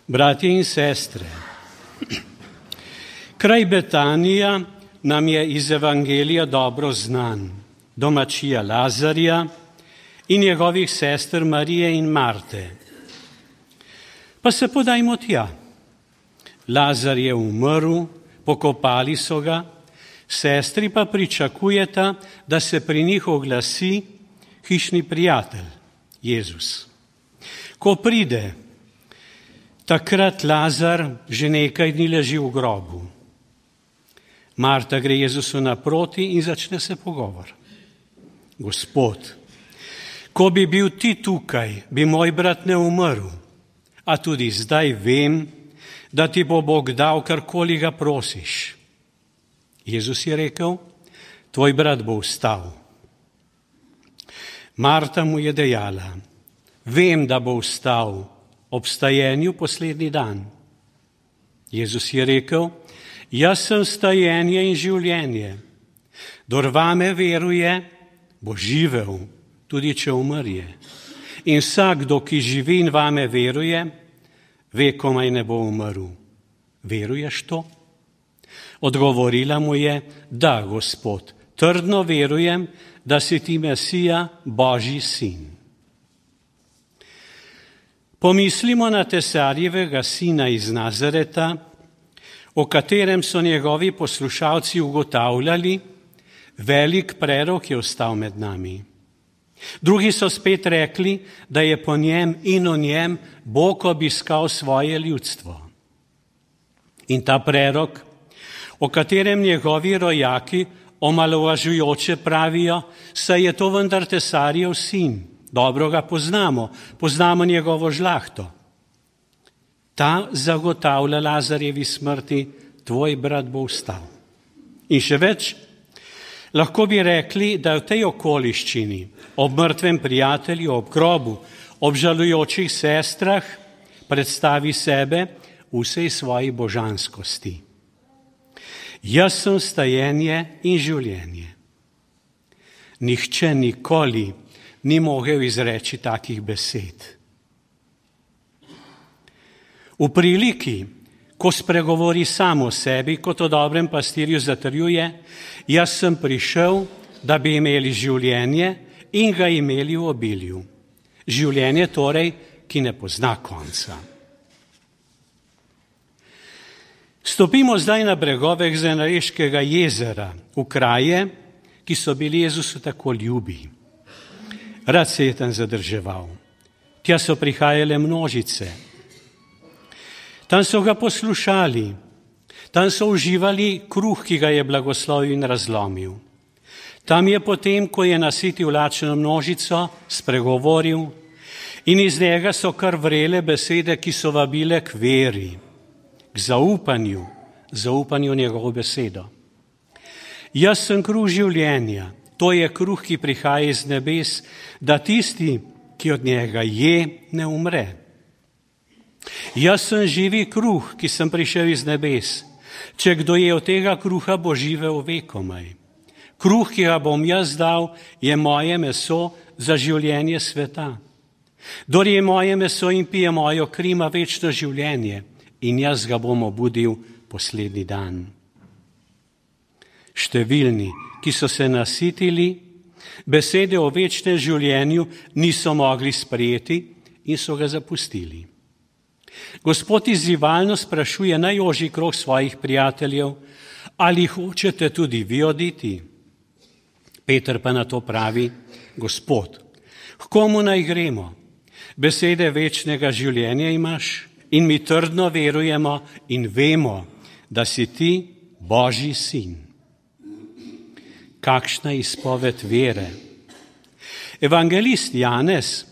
Bratje in sestre, kraj Betanija nam je iz Evangelija dobro znan, domačija Lazarja in njegovih sester Marije in Marte. Pa se podajmo tja. Lazar je umrl, pokopali so ga, sestri pa pričakujeta, da se pri njih oglasi hišni prijatelj, Jezus. Ko pride, takrat Lazar že nekaj dni leži v grobu. Marta gre Jezusu naproti in začne se pogovor. Gospod, ko bi bil ti tukaj, bi moj brat ne umrl, a tudi zdaj vem, da ti bo Bog dal, karkoli ga prosiš. Jezus je rekel, tvoj brat bo vstal. Marta mu je dejala, vem, da bo vstal ob stajenju poslednji dan. Jezus je rekel, jaz sem stajenje in življenje. Kdor vame veruje, bo živel, tudi če umrje. In vsakdo, ki živi in vame veruje, ve, komaj ne bo umrl. Veruješ to? Odgovorila mu je, da, Gospod, trdno verujem, da si ti Mesija, Božji sin. Pomislimo na Tesarjevega sina iz Nazareta, o katerem so njegovi poslušalci ugotavljali, velik prerok je ostal med nami. Drugi so spet rekli, da je po njem in o njem Bog obiskal svoje ljudstvo. In ta prerok, o katerem njegovi rojaki omalovažujoče pravijo, saj je to vendar Tesarjev sin, dobro ga poznamo njegovo žlahto. Ta zagotavlja Lazarjevi smrti, tvoj brat bo vstal. In še več, lahko bi rekli, da v tej okoliščini, ob mrtvem prijatelju, ob grobu, ob žalujočih sestrah, predstavi sebe v vsej svoji božanskosti. Jaz sem stajenje in življenje. Nihče nikoli ni mogel izreči takih besed. V priliki, ko spregovori sam o sebi, kot o dobrem pastirju zatrjuje, jaz sem prišel, da bi imeli življenje in ga imeli v obilju. Življenje torej, ki ne pozna konca. Stopimo zdaj na bregove Genezareškega jezera, v kraje, ki so bili Jezusu tako ljubi. Rad se je tam zadrževal. Tja so prihajale množice. Tam so ga poslušali, tam so uživali kruh, ki ga je blagoslovil in razlomil. Tam je potem, ko je nasitil lačno množico, spregovoril in iz njega so kar vrele besede, ki so vabile k veri, k zaupanju njegovo besedo. Jaz sem kruh življenja, to je kruh, ki prihaja iz nebes, da tisti, ki od njega je, ne umre. Jaz sem živi kruh, ki sem prišel iz nebes. Če kdo je od tega kruha, bo živel vekomaj. Kruh, ki ga bom jaz dal, je moje meso za življenje sveta. Kdor je moje meso in pije mojo kri, ima večno življenje in jaz ga bom obudil poslednji dan. Številni, ki so se nasitili, besede o večnem življenju niso mogli sprejeti in so ga zapustili. Gospod izzivalno sprašuje najožji krog svojih prijateljev, ali hočete tudi vi oditi? Peter pa na to pravi, Gospod, k komu naj gremo? Besede večnega življenja imaš in mi trdno verujemo in vemo, da si ti Božji sin. Kakšna izpoved vere. Evangelist Janez,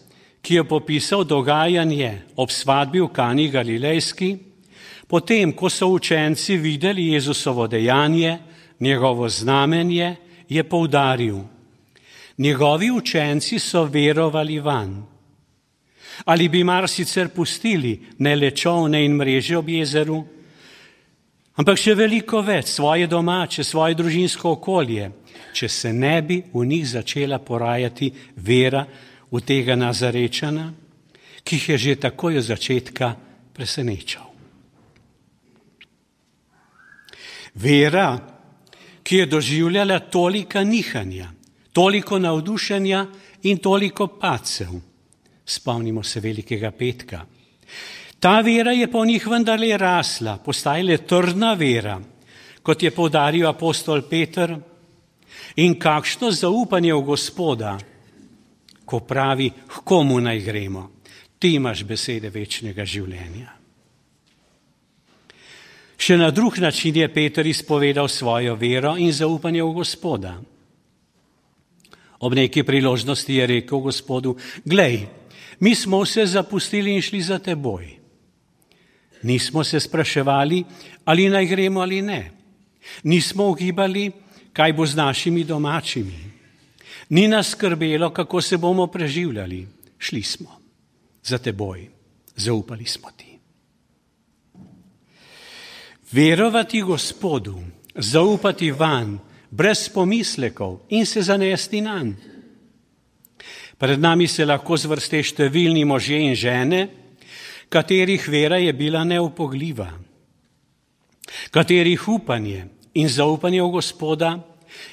ki je popisal dogajanje ob svadbi v Kani Galilejski, potem, ko so učenci videli Jezusovo dejanje, njegovo znamenje, je poudaril, njegovi učenci so verovali vanj. Ali bi mar sicer pustili ne le čolne in mreže ob jezeru, ampak še veliko več, svoje domače, svoje družinsko okolje, če se ne bi v njih začela porajati vera v tega Nazarečana, ki jih je že takoj od začetka presenečal. Vera, ki je doživljala tolika nihanja, toliko navdušenja in toliko padcev. Spomnimo se Velikega petka. Ta vera je po njih vendarle rasla, postajala trdna vera, kot je poudaril apostol Peter. In kakšno zaupanje v Gospoda, ko pravi, k komu naj gremo, ti imaš besede večnega življenja. Še na drug način je Peter izpovedal svojo vero in zaupanje v Gospoda. Ob neki priložnosti je rekel Gospodu, glej, mi smo vse zapustili in šli za teboj. Nismo se spraševali, ali naj gremo ali ne. Nismo ugibali, kaj bo z našimi domačimi. Ni nas skrbelo, kako se bomo preživljali. Šli smo za teboj, zaupali smo ti. Verovati Gospodu, zaupati vanj, brez pomislekov in se zanesti nanj. Pred nami se lahko zvrste številni možje in žene, katerih vera je bila neupogljiva, katerih upanje in zaupanje v Gospoda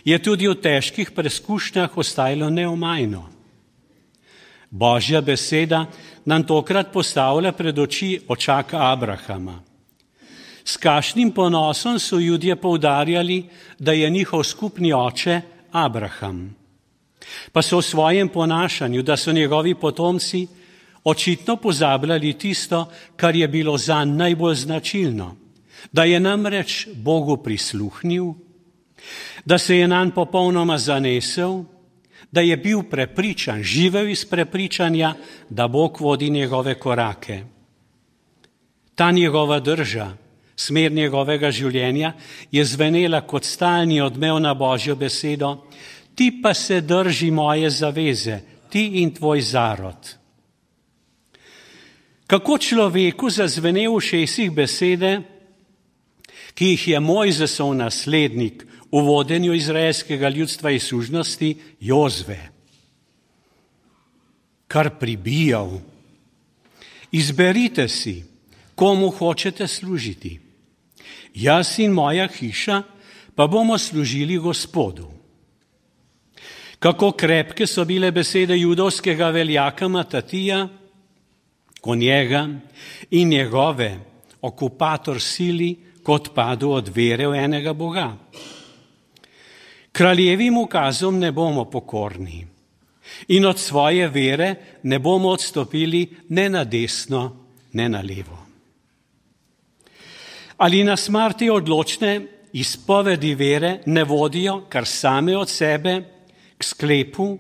je tudi v težkih preskušnjah ostajalo neomajno. Božja beseda nam tokrat postavlja pred oči očaka Abrahama. S kakšnim ponosom so Judje poudarjali, da je njihov skupni oče Abraham. Pa so v svojem ponašanju, da so njegovi potomci očitno pozabljali tisto, kar je bilo zanj najbolj značilno, da je namreč Bogu prisluhnil, da se je nanj popolnoma zanesel, da je bil prepričan, živel iz prepričanja, da Bog vodi njegove korake. Ta njegova drža, smer njegovega življenja je zvenela kot stalni odmev na Božjo besedo, ti pa se drži moje zaveze, ti in tvoj zarod. Kako človeku zazvene v ušesih besede, ki jih je Mojzesov naslednik v vodenju izraelskega ljudstva iz sužnosti Jozve, kar pribijal. Izberite si, komu hočete služiti. Jaz in moja hiša pa bomo služili Gospodu. Kako krepke so bile besede judovskega veljaka Matatija, ko njega in njegove okupator sili kot padu od vere v enega Boga. Kraljevim ukazom ne bomo pokorni in od svoje vere ne bomo odstopili ne na desno, ne na levo. Ali nas mar te odločne izpovedi vere ne vodijo kar same od sebe k sklepu,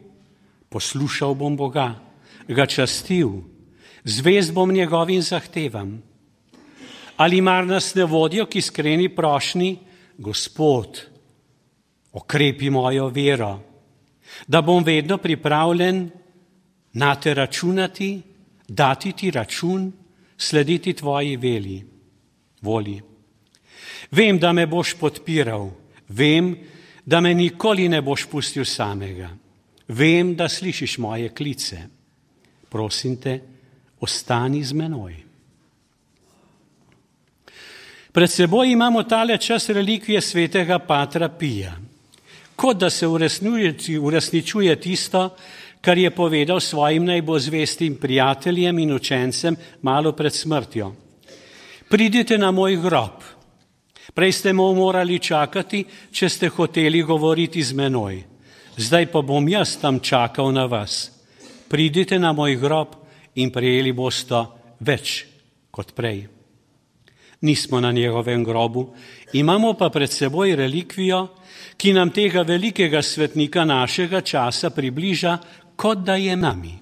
poslušal bom Boga, ga častil, zvest bom njegovim zahtevam. Ali mar nas ne vodijo k iskreni prošnji, Gospod, okrepi mojo vero, da bom vedno pripravljen nate računati, dati ti račun, slediti tvoji volji. Vem, da me boš podpiral, vem, da me nikoli ne boš pustil samega. Vem, da slišiš moje klice. Prosim te, ostani z menoj. Pred seboj imamo tale čas relikvije svetega Patra Pija, kot da se uresničuje tisto, kar je povedal svojim najbolj zvestim prijateljem in učencem malo pred smrtjo. Pridite na moj grob. Prej ste morali čakati, če ste hoteli govoriti z menoj. Zdaj pa bom jaz tam čakal na vas. Pridite na moj grob in prejeli boste več kot prej. Nismo na njegovem grobu, imamo pa pred seboj relikvijo, ki nam tega velikega svetnika našega časa približa, kot da je nami.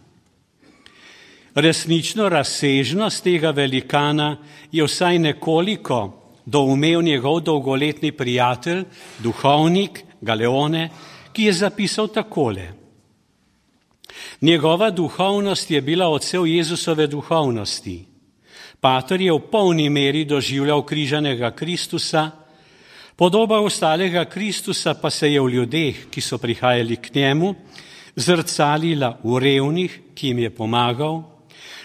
Resnično razsežnost tega velikana je vsaj nekoliko doumel njegov dolgoletni prijatelj, duhovnik Galeone, ki je zapisal takole. Njegova duhovnost je bila odsev Jezusove duhovnosti. Pater je v polni meri doživljal križanega Kristusa, podoba ostalega Kristusa pa se je v ljudeh, ki so prihajali k njemu, zrcalila v revnih, ki jim je pomagal,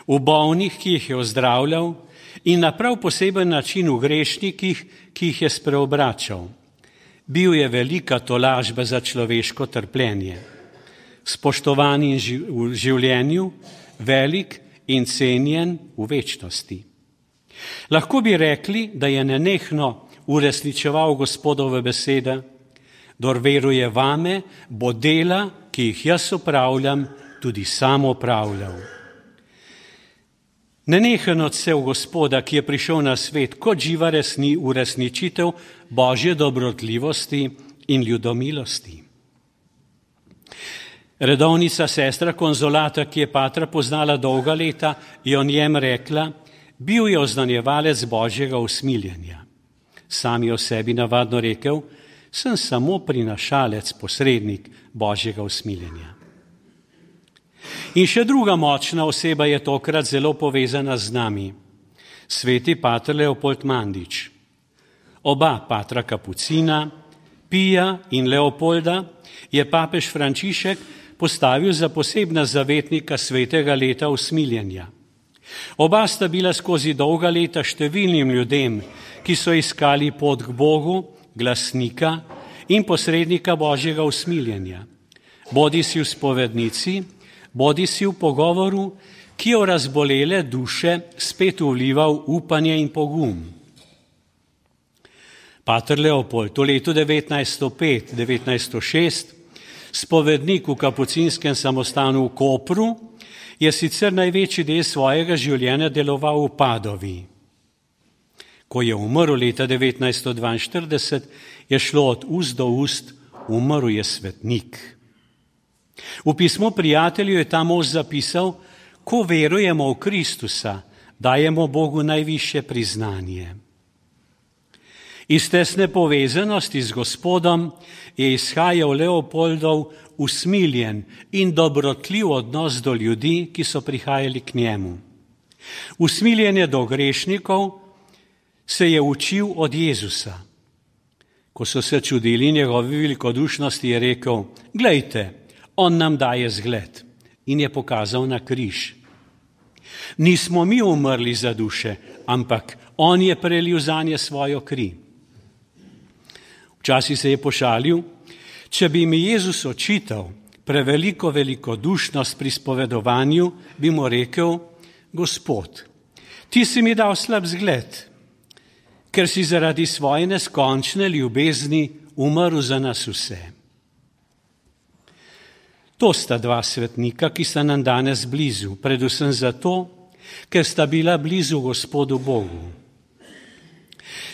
v bolnih, ki jih je ozdravljal, in na prav poseben način v grešnikih, ki jih je spreobračal. Bil je velika tolažba za človeško trpljenje. Spoštovan v življenju, velik in cenjen v večnosti. Lahko bi rekli, da je nenehno uresničeval Gospodove besede: "Kdor veruje vame, bo dela, ki jih jaz opravljam, tudi sam opravljal." Nenehen odsev Gospoda, ki je prišel na svet kot živa uresničitev Božje dobrotljivosti in ljudomilosti. Redovnica sestra Konzolata, ki je patra poznala dolga leta, je o njem rekla: "Bil je oznanjevalec Božjega usmiljenja." Sam je o sebi navadno rekel: "Sem samo prinašalec, posrednik Božjega usmiljenja." In še druga močna oseba je tokrat zelo povezana z nami. Sveti pater Leopold Mandič. Oba patra Kapucina, Pija in Leopolda, je papež Frančišek postavil za posebna zavetnika svetega leta usmiljenja. Oba sta bila skozi dolga leta številnim ljudem, ki so iskali pot k Bogu, glasnika in posrednika Božjega usmiljenja. Bodisi v spovednici, bodisi v pogovoru, ki je v razbolele duše spet vlival upanje in pogum. Pater Leopold v letu 1905-1906, spovednik v kapucinskem samostanu v Kopru, je sicer največji del svojega življenja deloval v Padovi. Ko je umrl leta 1942, je šlo od ust do ust: "Umrl je svetnik." V pismu prijatelju je ta mož zapisal: "Ko verujemo v Kristusa, dajemo Bogu najvišje priznanje." Iz tesne povezanosti z Gospodom je izhajal Leopoldov usmiljen in dobrotljiv odnos do ljudi, ki so prihajali k njemu. Usmiljenje do grešnikov se je učil od Jezusa. Ko so se čudili njegovi velikodušnosti, je rekel: "Glejte, on nam daje zgled." In je pokazal na križ. Nismo mi umrli za duše, ampak on je prelil zanje svojo kri. Včasih se je pošalil: "Če bi mi Jezus očital preveliko velikodušnost pri spovedovanju, bi mu rekel: Gospod, ti si mi dal slab zgled, ker si zaradi svoje neskončne ljubezni umrl za nas vse." To sta dva svetnika, ki sta nam danes blizu, predvsem zato, ker sta bila blizu Gospodu Bogu.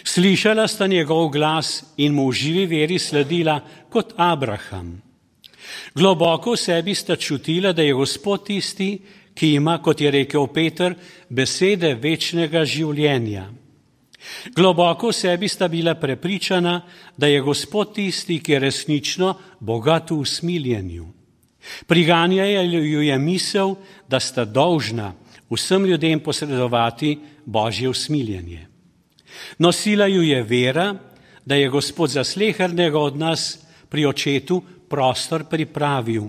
Slišala sta njegov glas in mu v živi veri sledila kot Abraham. Globoko v sebi sta čutila, da je Gospod tisti, ki ima, kot je rekel Peter, besede večnega življenja. Globoko v sebi sta bila prepričana, da je Gospod tisti, ki je resnično bogat v usmiljenju. Priganjala ju je misel, da sta dolžna vsem ljudem posredovati Božje usmiljenje. Nosila ju je vera, da je Gospod za slehernega od nas pri Očetu prostor pripravil,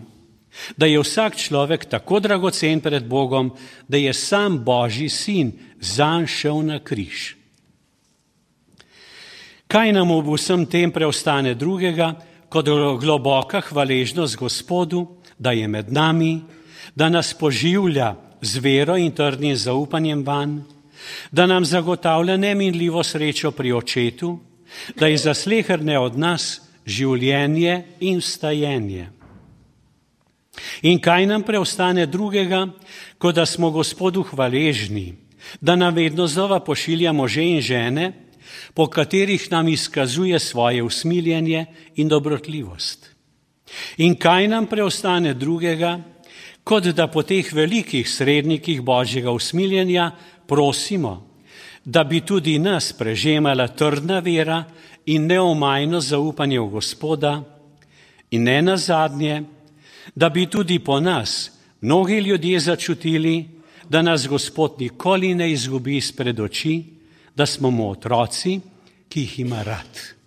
da je vsak človek tako dragocen pred Bogom, da je sam Božji sin zanj šel na križ. Kaj nam ob vsem tem preostane drugega, kot globoka hvaležnost Gospodu, da je med nami, da nas poživlja z vero in trdnim zaupanjem vanj, da nam zagotavlja neminljivo srečo pri Očetu, da je za sleherne od nas življenje in vstajenje. In kaj nam preostane drugega, kot da smo Gospodu hvaležni, da nam vedno znova pošilja može in žene, po katerih nam izkazuje svoje usmiljenje in dobrotljivost. In kaj nam preostane drugega, kot da po teh velikih srednikih Božjega usmiljenja prosimo, da bi tudi nas prežemala trdna vera in neomajno zaupanje v Gospoda, in ne nazadnje, da bi tudi po nas mnogi ljudje začutili, da nas Gospod nikoli ne izgubi izpred oči, da smo mu otroci, ki jih ima rad.